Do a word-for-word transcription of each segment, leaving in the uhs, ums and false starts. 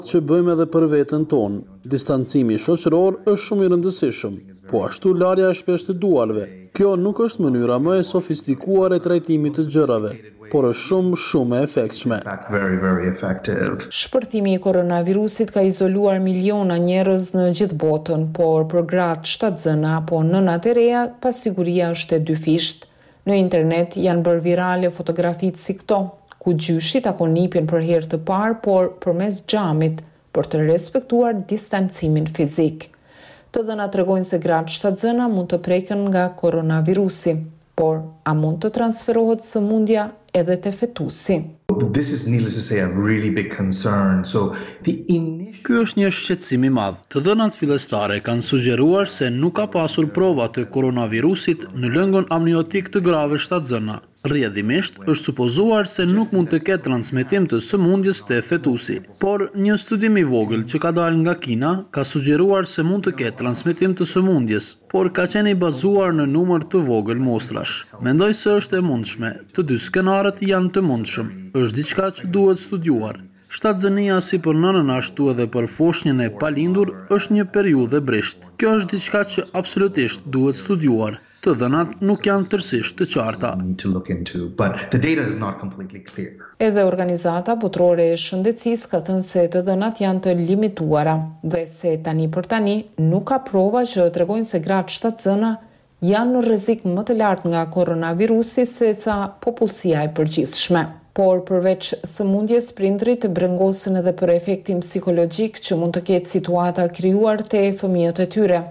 Që bëjmë edhe për veten tonë. Distancimi shoqëror është shumë i rëndësishëm, po ashtu larja e shpeshtë e duarve. Kjo nuk është mënyra më e sofistikuar e trajtimit të gjërave, por është shumë shumë e efektshme. Very, very effective. Shpërthimi i koronavirusit ka izoluar miliona njerëz në gjithë botën, por për gratë shtatzëna apo nënat e reja, pasiguria është e dyfisht. Në internet janë bërë virale fotografitë si këto, ku gjyshi takon nipin për herë të parë, por përmes xhamit, për të respektuar distancimin fizik. Të dhëna tregojnë se gratë shtatzëna mund të preken nga koronavirusi, por a mund të transferohet sëmundja edhe te fetusi? This is, needless to say, a really big concern. So the initial Ky është një shqetësim i madh. Të dhënat fillestare kanë sugjeruar se nuk ka pasur prova të koronavirusit në lëngun amniotik të grave shtatzëna. Rrjedhimisht, është supozuar se nuk mund të ketë transmetim të sëmundjes te fetusi. Por një studim i vogël që ka dalë nga Kina ka sugjeruar se mund të ketë transmetim të sëmundjes, por ka qenë i bazuar në numër të vogël mostrash. Mendoj se është e mundshme, të dy skenarët janë të mundshëm. Është diçka që duhet studiuar. Shtatzënia, si për nënën ashtu edhe për foshnjën e palindur, është një periudhë e brishtë. Kjo është diçka që absolutisht duhet studiuar. Të dhënat nuk janë tërësisht të qarta. Need to look into, but the data is not completely clear. Edhe Organizata Botërore e Shëndetësisë ka thënë se të dhënat janë të limituara dhe se tani për tani nuk ka prova që tregojnë se gratë shtatzëna janë në rrezik më të lartë nga koronavirusi se sa popullsia e përgjithshme. Por përveç sëmundjes, prindrit brengosen edhe për efektin psikologjik që mund të ketë situata krijuar te fëmijët e tyre.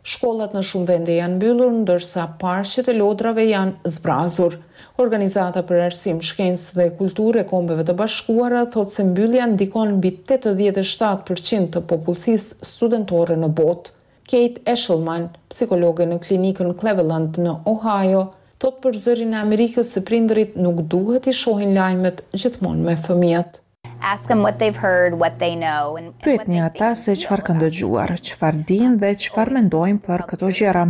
Shkollat në shumë vende janë mbyllur, ndërsa parqet e lodrave janë zbrazur. Organizata për Arsim, Shkencë dhe Kulturë e Kombeve të Bashkuara thotë se mbyllja ndikon mbi tetëdhjetë e shtatë për qind të popullsisë studentore në botë. Kate Eshelman, psikologe në klinikën Cleveland në Ohio, thot për Zërin e Amerikës se prindërit nuk duhet i shohin lajmet gjithmonë me fëmijët. Ask them what they've heard, what they know and Pyetni ata se çfarë kanë dëgjuar, çfarë dinë dhe çfarë mendojnë për këto gjëra.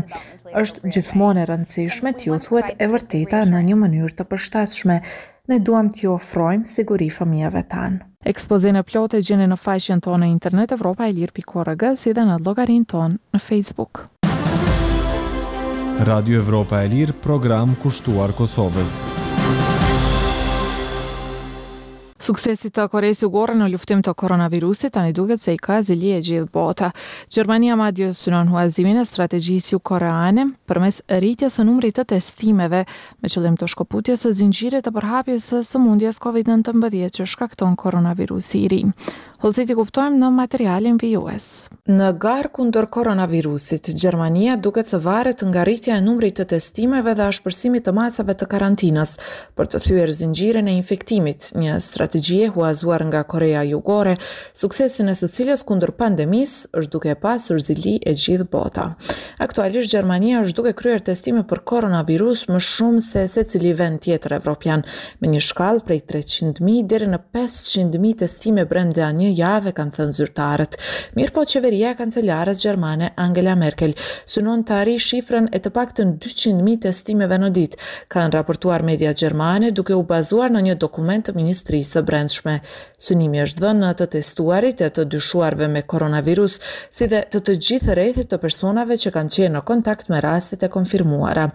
Është gjithmonë e rëndësishme t'ju thuhet e vërteta në një mënyrë të përshtatshme. Ne duam t'ju ofrojmë siguri fëmijëve tanë. Ekspozenë e plotë e gjeni në faqen tonë në internet evropaelire pikë org, si dhe në llogarinë tonë në Facebook. Radio Evropa e Lirë, program kushtuar Kosovës. Suksesit të Koresë Jugore në luftim të koronavirusit tani duket se i ka zili e gjithë bota. Gjermania madje synon huazimin e strategjisë jugkoreane përmes rritjes së numrit të testimeve, me qëllim të shkëputjes së zinxhirit të përhapjes së sëmundjes COVID nëntëmbëdhjetë që shkakton koronavirusi i ri. Hollësitë i kuptojmë në materialin vijues. Në garë kundër koronavirusit, Gjermania duket se varet nga rritja e numrit të testimeve dhe ashpërsimit të masave të karantinës për të thyer zinxhirin e infektimit, një strategji e huazuar nga Korea Jugore, suksesin e së cilës kundër pandemisë është duke e pasur zili e gjithë bota. Aktualisht, Gjermania është duke kryer testime për koronavirus më shumë se secili vend tjetër evropian, me një shkallë prej treqind mijë deri në pesëqind mijë testime brenda një jave, kanë thënë zyrtarët. Mirëpo, qeveria e kancelares gjermane Angela Merkel synon të arrijë shifrën e të paktën dyqind mijë testimeve në ditë, kanë raportuar media gjermane, duke u bazuar në një dokument të Ministrisë së Brendshme. Synimi është vënë në të testuarit e të dyshuarve me koronavirus, si dhe të të gjithë rrethit të personave që kanë qenë në kontakt me rastet e konfirmuara.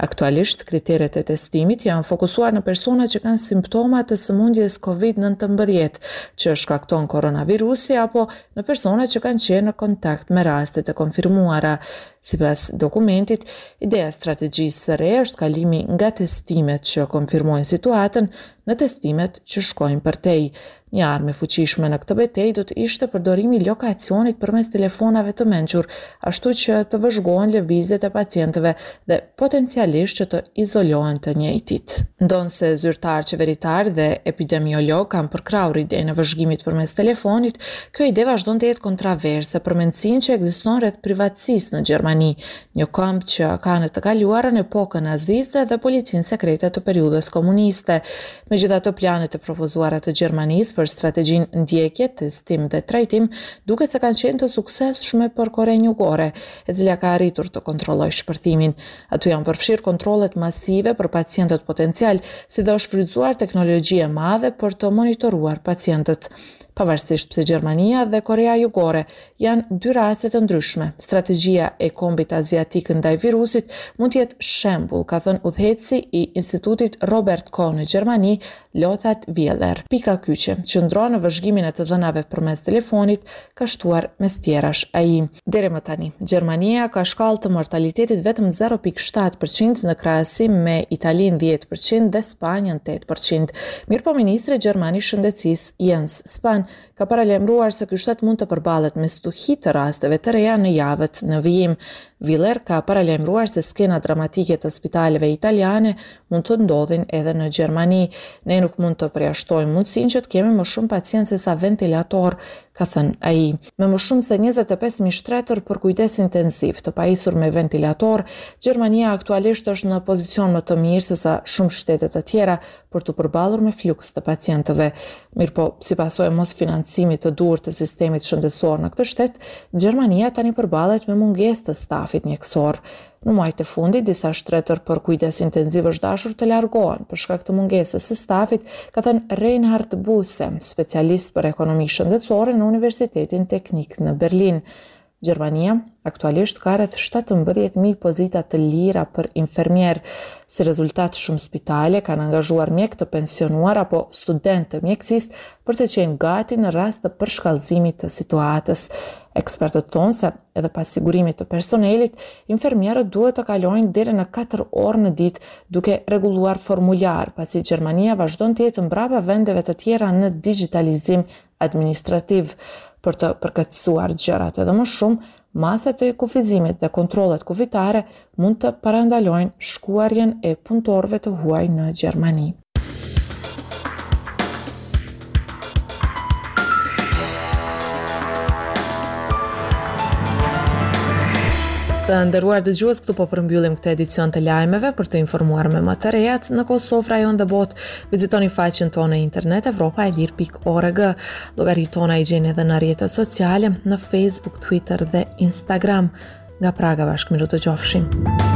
Aktualisht, kriteret e testimit janë fokusuar në persona që kanë simptoma të sëmundjes COVID nëntëmbëdhjetë që shkakton koronavirusi apo në persona që kanë qenë në kontakt me rastet e konfirmuara. Sipas dokumentit, ideja e strategjisë së re është kalimi nga testimet që konfirmojnë situatën në testimet që shkojnë përtej. Një armë e fuqishme në këtë betejë do të ishte përdorimi i lokacionit përmes telefonave të mençur, ashtu që të vëzhgohen lëvizjet e pacientëve dhe potencialisht që të izolohen të njëjtit. Ndonëse zyrtar qeveritar dhe epidemiolog kanë përkrahur idenë e vëzhgimit përmes telefonit, kjo ide vazhdon të jetë kontraverse për mendësinë që ekziston rreth privatësisë në Gjermani, një komb që ka në të kaluarën epokën naziste dhe policinë sekrete të periudhës komuniste. Megjithatë, planet e propozuara të Gjermanisë për strategjinë ndjekje, testim dhe trajtim duket se kanë qenë të suksesshme për Korenë Jugore, e cila ka arritur të kontrollojë shpërthimin. Aty janë përfshirë kontrollet masive për pacientët potencial, si dhe është shfrytëzuar teknologji e madhe për të monitoruar pacientët. Pavarësisht pse Gjermania dhe Korea Jugore janë dy raste të ndryshme, strategjia e kombit aziatik ndaj virusit mund të jetë shembull, ka thënë udhëheqësi i Institutit Robert Koch në Gjermani, Lothar Wieler. Pika kyçe qëndron në vëzhgimin e të dhënave përmes telefonit, ka shtuar mes tjerash ai. Deri më tani, Gjermania ka shkallë të mortalitetit vetëm zero pikë shtatë përqind në krahasim me Italinë dhjetë përqind dhe Spanjën tetë përqind. Mirëpo ministri gjerman i shëndetësisë Jens Spahn ka paralajmëruar se ky shtet mund të përballet me stuhi të rasteve të reja në javët në vijim. Wieler ka paralajmëruar se skena dramatike të spitaleve italiane mund të ndodhin edhe në Gjermani. Ne nuk mund të përjashtojmë mundësinë që të kemi më shumë pacientë se sa ventilator, ka thënë ai. Me më shumë se njëzet e pesë mijë shtretër për kujdes intensiv të pajisur me ventilator, Gjermania aktualisht është në pozicion më të mirë se sa shumë shtete të tjera për t'u përballur me fluks të pacientëve. Mirëpo, si pasojë e mosfinancimit të duhur të sistemit shëndetësor në këtë shtet, Gjermania tani përballet me mungesë të stafit mjekësor. Në muajt e fundit, disa shtretër për kujdes intensiv është dashur të largohen për shkak të mungesës së stafit, ka thënë Reinhard Buse, specialist për ekonomi shëndetësore në Universitetin Teknik në Berlin. Gjermania aktualisht ka rreth shtatëmbëdhjetë mijë pozita të lira për infermier. Si rezultat, shumë spitale kanë angazhuar mjek të pensionuar apo studentë të mjekësisë për të qenë gati në rast të përshkallëzimit të situatës. Ekspertët thonë se edhe pas sigurimit të personelit, infermierët duhet të kalojnë deri në katër orë në ditë duke rregulluar formular, pasi Gjermania vazhdon të jetë mbrapa vendeve të tjera në digjitalizim administrativ. Për të përkeqësuar gjërat edhe më shumë, masat e kufizimit dhe kontrollet kufitare mund të parandalojnë shkuarjen e punëtorëve të huaj në Gjermani. Të nderuar dëgjues, këtu po përmbyllim këtë edicion të lajmeve. Për të informuar me më të rejat në Kosovë, rajon dhe botë, vizitoni faqen tonë në internet evropa e lirë pikë org. Llogaritë tona i gjeni edhe në rrjetet sociale, në Facebook, Twitter dhe Instagram. Nga Praga bashkë mirudëgjofshim.